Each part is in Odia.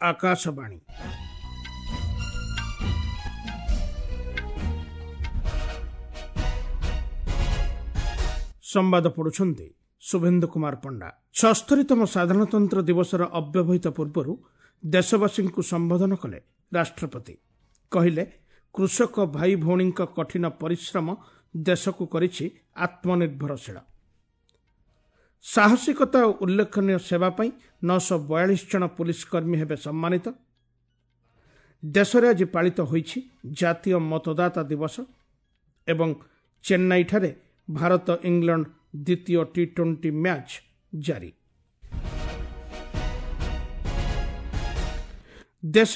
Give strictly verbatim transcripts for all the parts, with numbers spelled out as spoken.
ଆକାଶବାଣୀ। ସମ୍ବାଦ ପଢୁଛନ୍ତି ଶୁଭେନ୍ଦୁ କୁମାର ପଣ୍ଡା। ଛଅସ୍ତରୀତମ ସାଧାରଣତନ୍ତ୍ର ଦିବସର ଅବ୍ୟବହିତ ପୂର୍ବରୁ ଦେଶବାସୀଙ୍କୁ ସମ୍ବୋଧନ କଲେ ରାଷ୍ଟ୍ରପତି। କହିଲେ, କୃଷକ ଭାଇ ଭଉଣୀଙ୍କ କଠିନ ପରିଶ୍ରମ ଦେଶକୁ କରିଛି ଆତ୍ମନିର୍ଭରଶୀଳ। ସାହସିକତା ଓ ଉଲ୍ଲେଖନୀୟ ସେବା ପାଇଁ ନଅଶହ ବୟାଳିଶ ଜଣ ପୁଲିସ କର୍ମୀ ହେବେ ସମ୍ମାନିତ। ଦେଶରେ ଆଜି ପାଳିତ ହୋଇଛି ଜାତୀୟ ମତଦାତା ଦିବସ ଏବଂ ଚେନ୍ନାଇଠାରେ ଭାରତ ଇଂଲଣ୍ଡ ଦ୍ୱିତୀୟ ଟି ଟ୍ୱେଣ୍ଟି ମ୍ୟାଚ୍ ଜାରି। ଦେଶ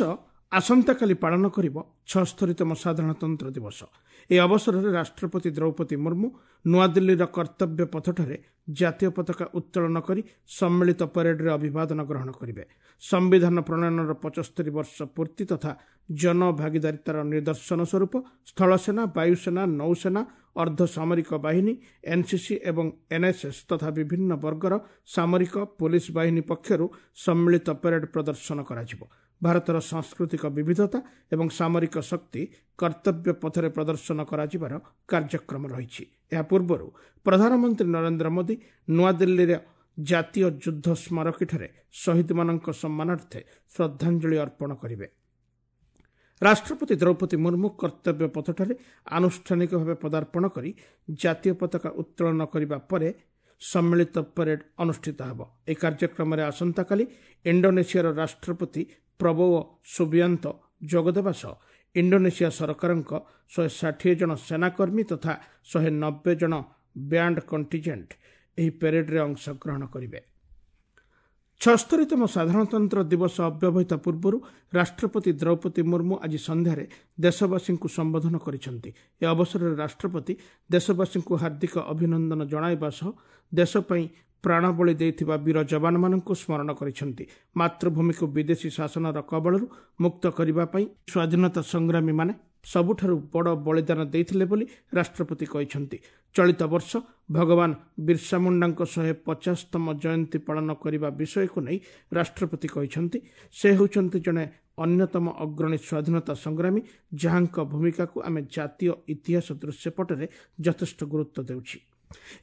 ଆସନ୍ତାକାଲି ପାଳନ କରିବ ଛଅସ୍ତରୀତମ ସାଧାରଣତନ୍ତ୍ର ଦିବସ। ଏହି ଅବସରରେ ରାଷ୍ଟ୍ରପତି ଦ୍ରୌପଦୀ ମୁର୍ମୁ ନୂଆଦିଲ୍ଲୀର କର୍ତ୍ତବ୍ୟ ପଥଠାରେ ଜାତୀୟ ପତାକା ଉତ୍ତୋଳନ କରି ସମ୍ମିଳିତ ପରେଡରେ ଅଭିବାଦନ ଗ୍ରହଣ କରିବେ। ସମ୍ବିଧାନ ପ୍ରଣୟନର ପଞ୍ଚସ୍ତରୀ ବର୍ଷ ପୂର୍ତ୍ତି ତଥା ଜନଭାଗିଦାରିତାର ନିଦର୍ଶନ ସ୍ୱରୂପ ସ୍ଥଳସେନା, ବାୟୁସେନା, ନୌସେନା, ଅର୍ଦ୍ଧସାମରିକ ବାହିନୀ, ଏନ୍ସିସି ଏବଂ ଏନ୍ଏସ୍ଏସ୍ ତଥା ବିଭିନ୍ନ ବର୍ଗର ସାମରିକ ପୋଲିସ ବାହିନୀ ପକ୍ଷରୁ ସମ୍ମିଳିତ ପରେଡ୍ ପ୍ରଦର୍ଶନ କରାଯିବ। ଭାରତର ସାଂସ୍କୃତିକ ବିବିଧତା ଏବଂ ସାମରିକ ଶକ୍ତି କର୍ତ୍ତବ୍ୟ ପଥରେ ପ୍ରଦର୍ଶନ କରାଯିବାର କାର୍ଯ୍ୟକ୍ରମ ରହିଛି। ଏହା ପୂର୍ବରୁ ପ୍ରଧାନମନ୍ତ୍ରୀ ନରେନ୍ଦ୍ର ମୋଦି ନୂଆଦିଲ୍ଲୀର ଜାତୀୟ ଯୁଦ୍ଧ ସ୍ମାରକୀଠାରେ ଶହୀଦମାନଙ୍କ ସମ୍ମାନାର୍ଥେ ଶ୍ରଦ୍ଧାଞ୍ଜଳି ଅର୍ପଣ କରିବେ। ରାଷ୍ଟ୍ରପତି ଦ୍ରୌପଦୀ ମୁର୍ମୁ କର୍ତ୍ତବ୍ୟ ପଥଠାରେ ଆନୁଷ୍ଠାନିକ ଭାବେ ପଦାର୍ପଣ କରି ଜାତୀୟ ପତାକା ଉତ୍ତୋଳନ କରିବା ପରେ ସମ୍ମିଳିତ ପରେଡ୍ ଅନୁଷ୍ଠିତ ହେବ। ଏହି କାର୍ଯ୍ୟକ୍ରମରେ ଆସନ୍ତାକାଲି ଇଣ୍ଡୋନେସିଆର ରାଷ୍ଟ୍ରପତି ପ୍ରବୋୱୋ ସୁବିଆନ୍ତୋ ଯୋଗଦେବା ସହ ଇଣ୍ଡୋନେସିଆ ସରକାରଙ୍କ ଶହେ ଷାଠିଏ ଜଣ ସେନାକର୍ମୀ ତଥା ଶହେ ନବେ ଜଣ ବ୍ୟାଣ୍ଡ କଣ୍ଟିଜେଣ୍ଟ ଏହି ପେରେଡ୍ରେ ଅଂଶଗ୍ରହଣ କରିବେ। ଛଅସ୍ତରୀତମ ସାଧାରଣତନ୍ତ୍ର ଦିବସ ଅବ୍ୟବହିତ ପୂର୍ବରୁ ରାଷ୍ଟ୍ରପତି ଦ୍ରୌପଦୀ ମୁର୍ମୁ ଆଜି ସନ୍ଧ୍ୟାରେ ଦେଶବାସୀଙ୍କୁ ସମ୍ବୋଧନ କରିଛନ୍ତି। ଏ ଅବସରରେ ରାଷ୍ଟ୍ରପତି ଦେଶବାସୀଙ୍କୁ ହାର୍ଦ୍ଦିକ ଅଭିନନ୍ଦନ ଜଣାଇବା ସହ ଦେଶ ପାଇଁ ପ୍ରାଣବଳି ଦେଇଥିବା ବୀର ଯବାନମାନଙ୍କୁ ସ୍ମରଣ କରିଛନ୍ତି। ମାତୃଭୂମିକୁ ବିଦେଶୀ ଶାସନର କବଳରୁ ମୁକ୍ତ କରିବା ପାଇଁ ସ୍ୱାଧୀନତା ସଂଗ୍ରାମୀମାନେ ସବୁଠାରୁ ବଡ଼ ବଳିଦାନ ଦେଇଥିଲେ ବୋଲି ରାଷ୍ଟ୍ରପତି କହିଛନ୍ତି। ଚଳିତ ବର୍ଷ ଭଗବାନ ବିର୍ସା ମୁଣ୍ଡାଙ୍କ ଶହେ ପଚାଶତମ ଜୟନ୍ତୀ ପାଳନ କରିବା ବିଷୟକୁ ନେଇ ରାଷ୍ଟ୍ରପତି କହିଛନ୍ତି, ସେ ହେଉଛନ୍ତି ଜଣେ ଅନ୍ୟତମ ଅଗ୍ରଣୀ ସ୍ୱାଧୀନତା ସଂଗ୍ରାମୀ, ଯାହାଙ୍କ ଭୂମିକାକୁ ଆମେ ଜାତୀୟ ଇତିହାସ ଦୃଶ୍ୟପଟରେ ଯଥେଷ୍ଟ ଗୁରୁତ୍ୱ ଦେଉଛି।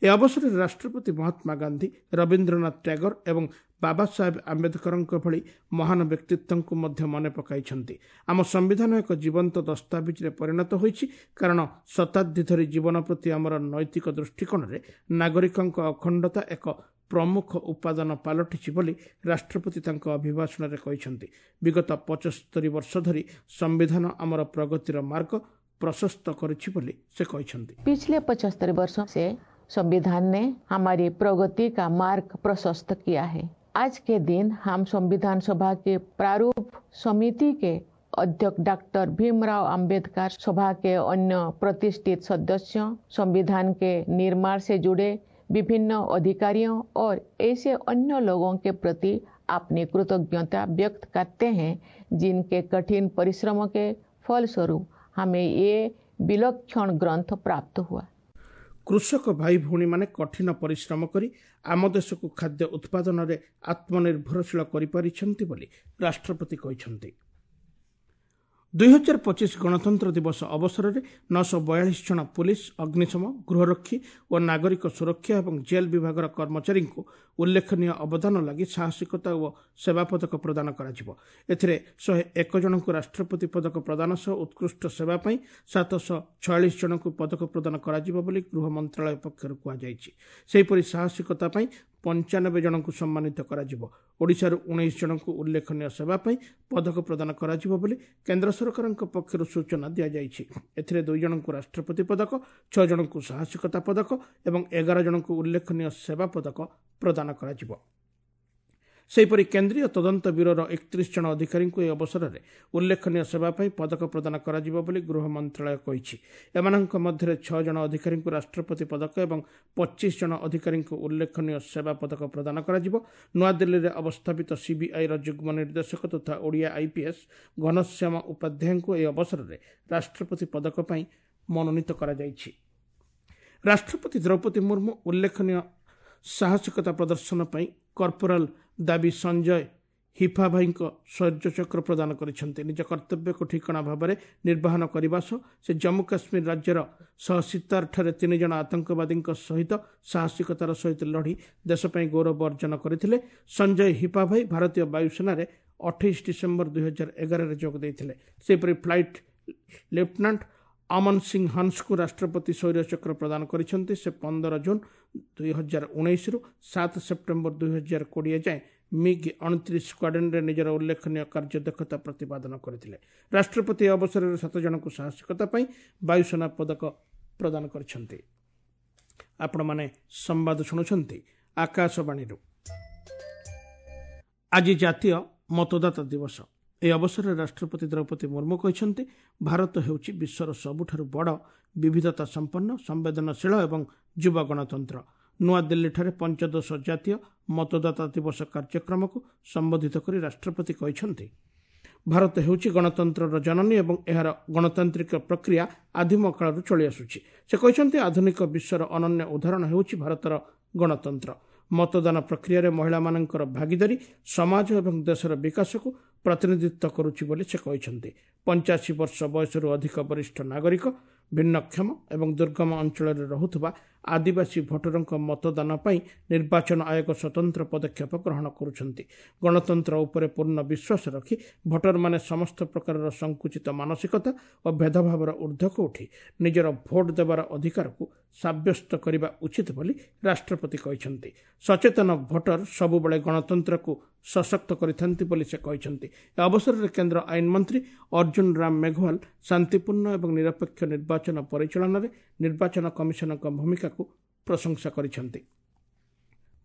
ଏ ଅବସରରେ ରାଷ୍ଟ୍ରପତି ମହାତ୍ମା ଗାନ୍ଧୀ, ରବୀନ୍ଦ୍ରନାଥ ଟ୍ୟାଗୋର ଏବଂ ବାବା ସାହେବ ଆମ୍ବେଦକରଙ୍କ ଭଳି ମହାନ ବ୍ୟକ୍ତିତ୍ୱଙ୍କୁ ମଧ୍ୟ ମନେ ପକାଇଛନ୍ତି। ଆମ ସମ୍ବିଧାନ ଏକ ଜୀବନ୍ତ ଦସ୍ତାବିଜରେ ପରିଣତ ହୋଇଛି, କାରଣ ଶତାବ୍ଦୀ ଧରି ଜୀବନ ପ୍ରତି ଆମର ନୈତିକ ଦୃଷ୍ଟିକୋଣରେ ନାଗରିକଙ୍କ ଅଖଣ୍ଡତା ଏକ ପ୍ରମୁଖ ଉପାଦାନ ପାଲଟିଛି ବୋଲି ରାଷ୍ଟ୍ରପତି ତାଙ୍କ ଅଭିଭାଷଣରେ କହିଛନ୍ତି। ବିଗତ ପଞ୍ଚସ୍ତରୀ ବର୍ଷ ଧରି ସମ୍ବିଧାନ ଆମର ପ୍ରଗତିର ମାର୍ଗ ପ୍ରଶସ୍ତ କରିଛି ବୋଲି ସେ କହିଛନ୍ତି। पिछले पचहत्तर वर्षों से संविधान ने हमारी प्रगति का मार्ग प्रशस्त किया है। आज के दिन हम संविधान सभा के प्रारूप समिति के अध्यक्ष डॉक्टर भीमराव अंबेडकर, सभा के अन्य प्रतिष्ठित सदस्यों, संविधान के निर्माण से जुड़े विभिन्न अधिकारियों और ऐसे अन्य लोगों के प्रति अपनी कृतज्ञता व्यक्त करते हैं, जिनके कठिन परिश्रमों के फलस्वरूप हमें ये विलक्षण ग्रंथ प्राप्त हुआ। କୃଷକ ଭାଇ ଭଉଣୀମାନେ କଠିନ ପରିଶ୍ରମ କରି ଆମ ଦେଶକୁ ଖାଦ୍ୟ ଉତ୍ପାଦନରେ ଆତ୍ମନିର୍ଭରଶୀଳ କରିପାରିଛନ୍ତି ବୋଲି ରାଷ୍ଟ୍ରପତି କହିଛନ୍ତି। ଦୁଇହଜାର ପଚିଶ ଗଣତନ୍ତ୍ର ଦିବସ ଅବସରରେ ନଅଶହ ବୟାଳିଶ ଜଣ ପୁଲିସ, ଅଗ୍ନିଶମ, ଗୃହରକ୍ଷୀ ଓ ନାଗରିକ ସୁରକ୍ଷା ଏବଂ ଜେଲ୍ ବିଭାଗର କର୍ମଚାରୀଙ୍କୁ ଉଲ୍ଲେଖନୀୟ ଅବଦାନ ଲାଗି ସାହସିକତା ଓ ସେବା ପଦକ ପ୍ରଦାନ କରାଯିବ। ଏଥିରେ ଶହେ ଏକ ଜଣଙ୍କୁ ରାଷ୍ଟ୍ରପତି ପଦକ ପ୍ରଦାନ ସହ ଉତ୍କୃଷ୍ଟ ସେବା ପାଇଁ ସାତଶହ ଛୟାଳିଶ ଜଣଙ୍କୁ ପଦକ ପ୍ରଦାନ କରାଯିବ ବୋଲି ଗୃହ ମନ୍ତ୍ରଣାଳୟ ପକ୍ଷରୁ କୁହାଯାଇଛି। ସେହିପରି ସାହସିକତା ପାଇଁ ପଞ୍ଚାନବେ ଜଣଙ୍କୁ ସମ୍ମାନିତ କରାଯିବ। ଓଡ଼ିଶାରୁ ଉଣେଇଶ ଜଣଙ୍କୁ ଉଲ୍ଲେଖନୀୟ ସେବା ପାଇଁ ପଦକ ପ୍ରଦାନ କରାଯିବ ବୋଲି କେନ୍ଦ୍ର ସରକାରଙ୍କ ପକ୍ଷରୁ ସୂଚନା ଦିଆଯାଇଛି। ଏଥିରେ ଦୁଇ ଜଣଙ୍କୁ ରାଷ୍ଟ୍ରପତି ପଦକ, ଛଅ ଜଣଙ୍କୁ ସାହସିକତା ପଦକ ଏବଂ ଏଗାର ଜଣଙ୍କୁ ଉଲ୍ଲେଖନୀୟ ସେବା ପଦକ ପ୍ରଦାନ କରାଯିବ। ସେହିପରି କେନ୍ଦ୍ରୀୟ ତଦନ୍ତ ବ୍ୟୁରୋର ଏକତିରିଶ ଜଣ ଅଧିକାରୀଙ୍କୁ ଏହି ଅବସରରେ ଉଲ୍ଲେଖନୀୟ ସେବା ପାଇଁ ପଦକ ପ୍ରଦାନ କରାଯିବ ବୋଲି ଗୃହ ମନ୍ତ୍ରଣାଳୟ କହିଛି। ଏମାନଙ୍କ ମଧ୍ୟରେ ଛଅ ଜଣ ଅଧିକାରୀଙ୍କୁ ରାଷ୍ଟ୍ରପତି ପଦକ ଏବଂ ପଚିଶ ଜଣ ଅଧିକାରୀଙ୍କୁ ଉଲ୍ଲେଖନୀୟ ସେବା ପଦକ ପ୍ରଦାନ କରାଯିବ। ନୂଆଦିଲ୍ଲୀରେ ଅବସ୍ଥାପିତ ସିବିଆଇର ଯୁଗ୍ମ ନିର୍ଦ୍ଦେଶକ ତଥା ଓଡ଼ିଆ ଆଇପିଏସ୍ ଘନଶ୍ୟାମ ଉପାଧ୍ୟାୟଙ୍କୁ ଏହି ଅବସରରେ ରାଷ୍ଟ୍ରପତି ପଦକ ପାଇଁ ମନୋନୀତ କରାଯାଇଛି। ରାଷ୍ଟ୍ରପତି ଦ୍ରୌପଦୀ ମୁର୍ମୁ ଉଲ୍ଲେଖନୀୟ ସାହସିକତା ପ୍ରଦର୍ଶନ ପାଇଁ କର୍ପୋରାଲ ଦାବି ସଞ୍ଜୟ ହିଫାଭାଇଙ୍କ ଶୌର୍ଯ୍ୟଚକ୍ର ପ୍ରଦାନ କରିଛନ୍ତି। ନିଜ କର୍ତ୍ତବ୍ୟକୁ ଠିକଣା ଭାବରେ ନିର୍ବାହନ କରିବା ସହ ସେ ଜମ୍ମୁ କାଶ୍ମୀର ରାଜ୍ୟର ସହସିତାରଠାରେ ତିନି ଜଣ ଆତଙ୍କବାଦୀଙ୍କ ସହିତ ସାହସିକତାର ସହିତ ଲଢ଼ି ଦେଶ ପାଇଁ ଗୌରବ ଅର୍ଜନ କରିଥିଲେ। ସଞ୍ଜୟ ହିପାଭାଇ ଭାରତୀୟ ବାୟୁସେନାରେ ଅଠେଇଶ ଡିସେମ୍ବର ଦୁଇହଜାର ଏଗାରରେ ଯୋଗ ଦେଇଥିଲେ। ସେହିପରି ଫ୍ଲାଇଟ୍ ଲେଫ୍ଟନାଣ୍ଟ ଅମନ ସିଂ ହନ୍ସଙ୍କୁ ରାଷ୍ଟ୍ରପତି ଶୌର୍ଯ୍ୟଚକ୍ର ପ୍ରଦାନ କରିଛନ୍ତି। ସେ ପନ୍ଦର ଜୁନ୍ ଦୁଇହଜାର ଉଣେଇଶରୁ ସାତ ସେପ୍ଟେମ୍ବର ଦୁଇହଜାର କୋଡ଼ିଏ ଯାଏଁ ମିଗ୍ ଅଣତିରିଶ ସ୍କ୍ୱାଡ୍ରନ୍ରେ ନିଜର ଉଲ୍ଲେଖନୀୟ କାର୍ଯ୍ୟଦକ୍ଷତା ପ୍ରତିପାଦନ କରିଥିଲେ। ରାଷ୍ଟ୍ରପତି ଏହି ଅବସରରେ ସାତ ଜଣଙ୍କୁ ସାହସିକତା ପାଇଁ ବାୟୁସେନା ପଦକ ପ୍ରଦାନ କରିଛନ୍ତି। ଆପଣମାନେ ସମ୍ବାଦ ଶୁଣୁଛନ୍ତି ଆକାଶବାଣୀରୁ। ଆଜି ଜାତୀୟ ମତଦାତା ଦିବସ। ଏହି ଅବସରରେ ରାଷ୍ଟ୍ରପତି ଦ୍ରୌପଦୀ ମୁର୍ମୁ କହିଛନ୍ତି, ଭାରତ ହେଉଛି ବିଶ୍ୱର ସବୁଠାରୁ ବଡ଼ ବିବିଧତା ସମ୍ପନ୍ନ, ସମ୍ବେଦନଶୀଳ ଏବଂ ଯୁବ ଗଣତନ୍ତ୍ର। ନୂଆଦିଲ୍ଲୀଠାରେ ପଞ୍ଚଦଶ ଜାତୀୟ ମତଦାତା ଦିବସ କାର୍ଯ୍ୟକ୍ରମକୁ ସମ୍ବୋଧିତ କରି ରାଷ୍ଟ୍ରପତି କହିଛନ୍ତି, ଭାରତ ହେଉଛି ଗଣତନ୍ତ୍ରର ଜନନୀ ଏବଂ ଏହାର ଗଣତାନ୍ତ୍ରିକ ପ୍ରକ୍ରିୟା ଆଦିମ କାଳରୁ ଚଳିଆସୁଛି। ସେ କହିଛନ୍ତି, ଆଧୁନିକ ବିଶ୍ୱର ଅନନ୍ୟ ଉଦାହରଣ ହେଉଛି ଭାରତର ଗଣତନ୍ତ୍ର। ମତଦାନ ପ୍ରକ୍ରିୟାରେ ମହିଳାମାନଙ୍କର ଭାଗିଦାରୀ ସମାଜ ଏବଂ ଦେଶର ବିକାଶକୁ ପ୍ରତିନିଧିତ୍ୱ କରୁଛି ବୋଲି ସେ କହିଛନ୍ତି। ପଞ୍ଚାଅଶୀ ବର୍ଷ ବୟସରୁ ଅଧିକ ବରିଷ୍ଠ ନାଗରିକ, ଭିନ୍ନକ୍ଷମ ଏବଂ ଦୁର୍ଗମ ଅଞ୍ଚଳରେ ରହୁଥିବା ଆଦିବାସୀ ଭୋଟରଙ୍କ ମତଦାନ ପାଇଁ ନିର୍ବାଚନ ଆୟୋଗ ସ୍ୱତନ୍ତ୍ର ପଦକ୍ଷେପ ଗ୍ରହଣ କରୁଛନ୍ତି। ଗଣତନ୍ତ୍ର ଉପରେ ପୂର୍ଣ୍ଣ ବିଶ୍ୱାସ ରଖି ଭୋଟରମାନେ ସମସ୍ତ ପ୍ରକାରର ସଂକୁଚିତ ମାନସିକତା ଓ ଭେଦଭାବର ଊର୍ଦ୍ଧ୍ୱକୁ ଉଠି ନିଜର ଭୋଟ ଦେବାର ଅଧିକାରକୁ ସାବ୍ୟସ୍ତ କରିବା ଉଚିତ ବୋଲି ରାଷ୍ଟ୍ରପତି କହିଛନ୍ତି। ସଚେତନ ଭୋଟର ସବୁବେଳେ ଗଣତନ୍ତ୍ରକୁ ସଶକ୍ତ କରିଥାନ୍ତି ବୋଲି ସେ କହିଛନ୍ତି। ଏ ଅବସରରେ କେନ୍ଦ୍ର ଆଇନ ମନ୍ତ୍ରୀ ଅର୍ଜୁନ ରାମ ମେଘୱାଲ ଶାନ୍ତିପୂର୍ଣ୍ଣ ଏବଂ ନିରପେକ୍ଷ ନିର୍ବାଚନ ପରିଚାଳନାରେ ନିର୍ବାଚନ କମିଶନଙ୍କ ଭୂମିକାକୁ ପ୍ରଶଂସା କରିଛନ୍ତି।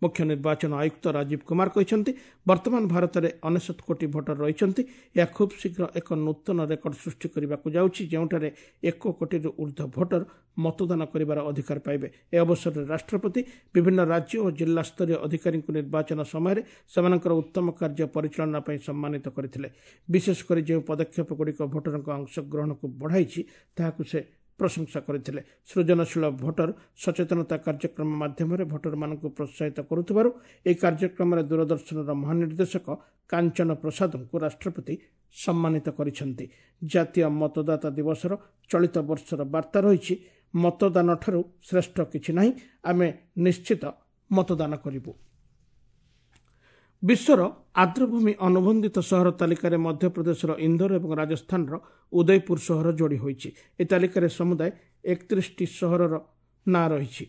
ମୁଖ୍ୟ ନିର୍ବାଚନ ଆୟୁକ୍ତ ରାଜୀବ କୁମାର କହିଛନ୍ତି, ବର୍ତ୍ତମାନ ଭାରତରେ ଅନେଶତ କୋଟି ଭୋଟର ରହିଛନ୍ତି। ଏହା ଖୁବ୍ ଶୀଘ୍ର ଏକ ନୂତନ ରେକର୍ଡ ସୃଷ୍ଟି କରିବାକୁ ଯାଉଛି, ଯେଉଁଠାରେ ଏକ କୋଟିରୁ ଉର୍ଦ୍ଧ୍ୱ ଭୋଟର ମତଦାନ କରିବାର ଅଧିକାର ପାଇବେ। ଏ ଅବସରରେ ରାଷ୍ଟ୍ରପତି ବିଭିନ୍ନ ରାଜ୍ୟ ଓ ଜିଲ୍ଲାସ୍ତରୀୟ ଅଧିକାରୀଙ୍କୁ ନିର୍ବାଚନ ସମୟରେ ସେମାନଙ୍କର ଉତ୍ତମ କାର୍ଯ୍ୟ ପରିଚାଳନା ପାଇଁ ସମ୍ମାନିତ କରିଥିଲେ। ବିଶେଷ କରି ଯେଉଁ ପଦକ୍ଷେପଗୁଡ଼ିକ ଭୋଟରଙ୍କ ଅଂଶଗ୍ରହଣକୁ ବଢ଼ାଇଛି ତାହାକୁ ସେ ପ୍ରଶଂସା କରିଥିଲେ। ସୃଜନଶୀଳ ଭୋଟର ସଚେତନତା କାର୍ଯ୍ୟକ୍ରମ ମାଧ୍ୟମରେ ଭୋଟରମାନଙ୍କୁ ପ୍ରୋତ୍ସାହିତ କରୁଥିବାରୁ ଏହି କାର୍ଯ୍ୟକ୍ରମରେ ଦୂରଦର୍ଶନର ମହାନିର୍ଦ୍ଦେଶକ କାଞ୍ଚନ ପ୍ରସାଦଙ୍କୁ ରାଷ୍ଟ୍ରପତି ସମ୍ମାନିତ କରିଛନ୍ତି। ଜାତୀୟ ମତଦାତା ଦିବସର ଚଳିତ ବର୍ଷର ବାର୍ତ୍ତା ରହିଛି, ମତଦାନଠାରୁ ଶ୍ରେଷ୍ଠ କିଛି ନାହିଁ, ଆମେ ନିଶ୍ଚିତ ମତଦାନ କରିବୁ। ବିଶ୍ୱର ଆର୍ଦ୍ରଭୂମି ଅନୁବନ୍ଧିତ ସହର ତାଲିକାରେ ମଧ୍ୟପ୍ରଦେଶର ଇନ୍ଦୋର ଏବଂ ରାଜସ୍ଥାନର ଉଦୟପୁର ସହର ଯୋଡ଼ି ହୋଇଛି। ଏହି ତାଲିକାରେ ସମୁଦାୟ ଏକତିରିଶଟି ସହରର ନାଁ ରହିଛି।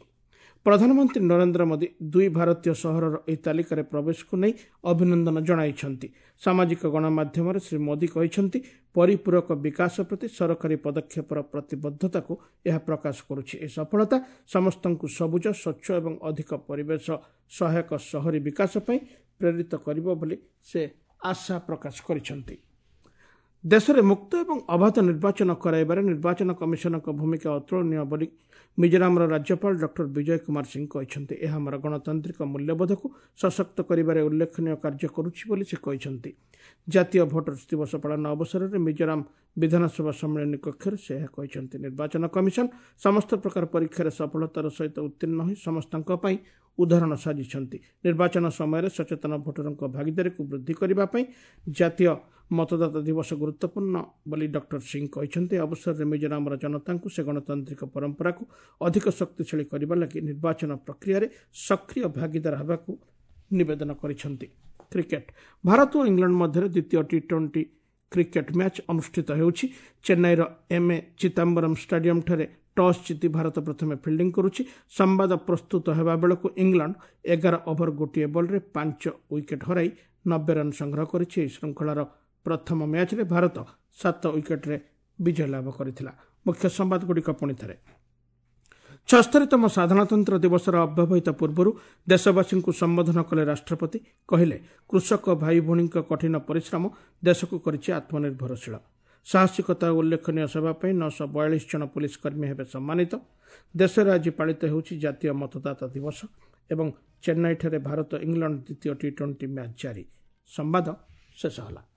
ପ୍ରଧାନମନ୍ତ୍ରୀ ନରେନ୍ଦ୍ର ମୋଦି ଦୁଇ ଭାରତୀୟ ସହରର ଏହି ତାଲିକାରେ ପ୍ରବେଶକୁ ନେଇ ଅଭିନନ୍ଦନ ଜଣାଇଛନ୍ତି। ସାମାଜିକ ଗଣମାଧ୍ୟମରେ ଶ୍ରୀ ମୋଦି କହିଛନ୍ତି, ପରିପୂରକ ବିକାଶ ପ୍ରତି ସରକାରୀ ପଦକ୍ଷେପର ପ୍ରତିବଦ୍ଧତାକୁ ଏହା ପ୍ରକାଶ କରୁଛି। ଏହି ସଫଳତା ସମସ୍ତଙ୍କୁ ସବୁଜ, ସ୍ୱଚ୍ଛ ଏବଂ ଅଧିକ ପରିବେଶ ସହାୟକ ସହରୀ ବିକାଶ ପାଇଁ ପ୍ରେରିତ କରିବ ବୋଲି ସେ ଆଶା ପ୍ରକାଶ କରିଛନ୍ତି। ଦେଶରେ ମୁକ୍ତ ଏବଂ ଅବାଧ ନିର୍ବାଚନ କରାଇବାରେ ନିର୍ବାଚନ କମିଶନଙ୍କ ଭୂମିକା ଅତୁଳନୀୟ ବୋଲି ମିଜୋରାମର ରାଜ୍ୟପାଳ ଡକ୍ଟର ବିଜୟ କୁମାର ସିଂ କହିଛନ୍ତି। ଏହା ଆମର ଗଣତାନ୍ତ୍ରିକ ମୂଲ୍ୟବୋଧକୁ ସଶକ୍ତ କରିବାରେ ଉଲ୍ଲେଖନୀୟ କାର୍ଯ୍ୟ କରୁଛି ବୋଲି ସେ କହିଛନ୍ତି। ଜାତୀୟ ଭୋଟର୍ସ ଦିବସ ପାଳନ ଅବସରରେ ମିଜୋରାମ ବିଧାନସଭା ସମ୍ମିଳନୀ କକ୍ଷରେ ସେ ଏହା କହିଛନ୍ତି। ନିର୍ବାଚନ କମିଶନ ସମସ୍ତ ପ୍ରକାର ପରୀକ୍ଷାରେ ସଫଳତାର ସହିତ ଉତ୍ତୀର୍ଣ୍ଣ ହୋଇ ସମସ୍ତଙ୍କ ପାଇଁ ଉଦାହରଣ ସାଜିଛନ୍ତି। ନିର୍ବାଚନ ସମୟରେ ସଚେତନ ଭୋଟରଙ୍କ ଭାଗିଦାରୀକୁ ବୃଦ୍ଧି କରିବା ପାଇଁ ଜାତୀୟ ମତଦାତା ଦିବସ ଗୁରୁତ୍ୱପୂର୍ଣ୍ଣ ବୋଲି ଡକ୍ଟର ସିଂ କହିଛନ୍ତି। ଅବସରରେ ମିଜୋରାମର ଜନତାଙ୍କୁ ସେ ଗଣତାନ୍ତ୍ରିକ ପରମ୍ପରାକୁ ଅଧିକ ଶକ୍ତିଶାଳୀ କରିବା ଲାଗି ନିର୍ବାଚନ ପ୍ରକ୍ରିୟାରେ ସକ୍ରିୟ ଭାଗିଦାର ହେବାକୁ ନିବେଦନ କରିଛନ୍ତି। କ୍ରିକେଟ, ଭାରତ ଓ ଇଂଲଣ୍ଡ ମଧ୍ୟରେ ଦ୍ୱିତୀୟ ଟି ଟ୍ୱେଣ୍ଟି କ୍ରିକେଟ ମ୍ୟାଚ୍ ଅନୁଷ୍ଠିତ ହେଉଛି। ଚେନ୍ନାଇର ଏମ୍ ଏ ଚିଦାମ୍ବରମ୍ ଷ୍ଟାଡିୟମଠାରେ ଟସ୍ ଜିତି ଭାରତ ପ୍ରଥମେ ଫିଲ୍ଡିଂ କରୁଛି। ସମ୍ବାଦ ପ୍ରସ୍ତୁତ ହେବା ବେଳକୁ ଇଂଲଣ୍ଡ ଏଗାର ଓଭର ଗୋଟିଏ ବଲ୍ରେ ପାଞ୍ଚ ୱିକେଟ୍ ହରାଇ ନବେ ରନ୍ ସଂଗ୍ରହ କରିଛି। ଏହି ଶୃଙ୍ଖଳାର ପ୍ରଥମ ମ୍ୟାଚ୍ରେ ଭାରତ ସାତ ୱିକେଟ୍ରେ ବିଜୟ ଲାଭ କରିଥିଲା। ମୁଖ୍ୟ ସମ୍ବାଦଗୁଡ଼ିକ ପୁଣି ଥରେ। ଛସ୍ତରୀତମ ସାଧାରଣତନ୍ତ୍ର ଦିବସର ଅବ୍ୟବହିତ ପୂର୍ବରୁ ଦେଶବାସୀଙ୍କୁ ସମ୍ବୋଧନ କଲେ ରାଷ୍ଟ୍ରପତି। କହିଲେ, କୃଷକ ଭାଇ ଭଉଣୀଙ୍କ କଠିନ ପରିଶ୍ରମ ଦେଶକୁ କରିଛି ଆତ୍ମନିର୍ଭରଶୀଳ। ସାହସିକତା ଓ ଉଲ୍ଲେଖନୀୟ ସେବା ପାଇଁ ନଅଶହ ବୟାଳିଶ ଜଣ ପୁଲିସ କର୍ମୀ ହେବେ ସମ୍ମାନିତ। ଦେଶରେ ଆଜି ପାଳିତ ହେଉଛି ଜାତୀୟ ମତଦାତା ଦିବସ ଏବଂ ଚେନ୍ନାଇଠାରେ ଭାରତ ଇଂଲଣ୍ଡ ଦ୍ୱିତୀୟ ଟି ଟ୍ୱେଣ୍ଟି ମ୍ୟାଚ୍ ଜାରି। ସମ୍ବାଦ ଶେଷ ହେଲା।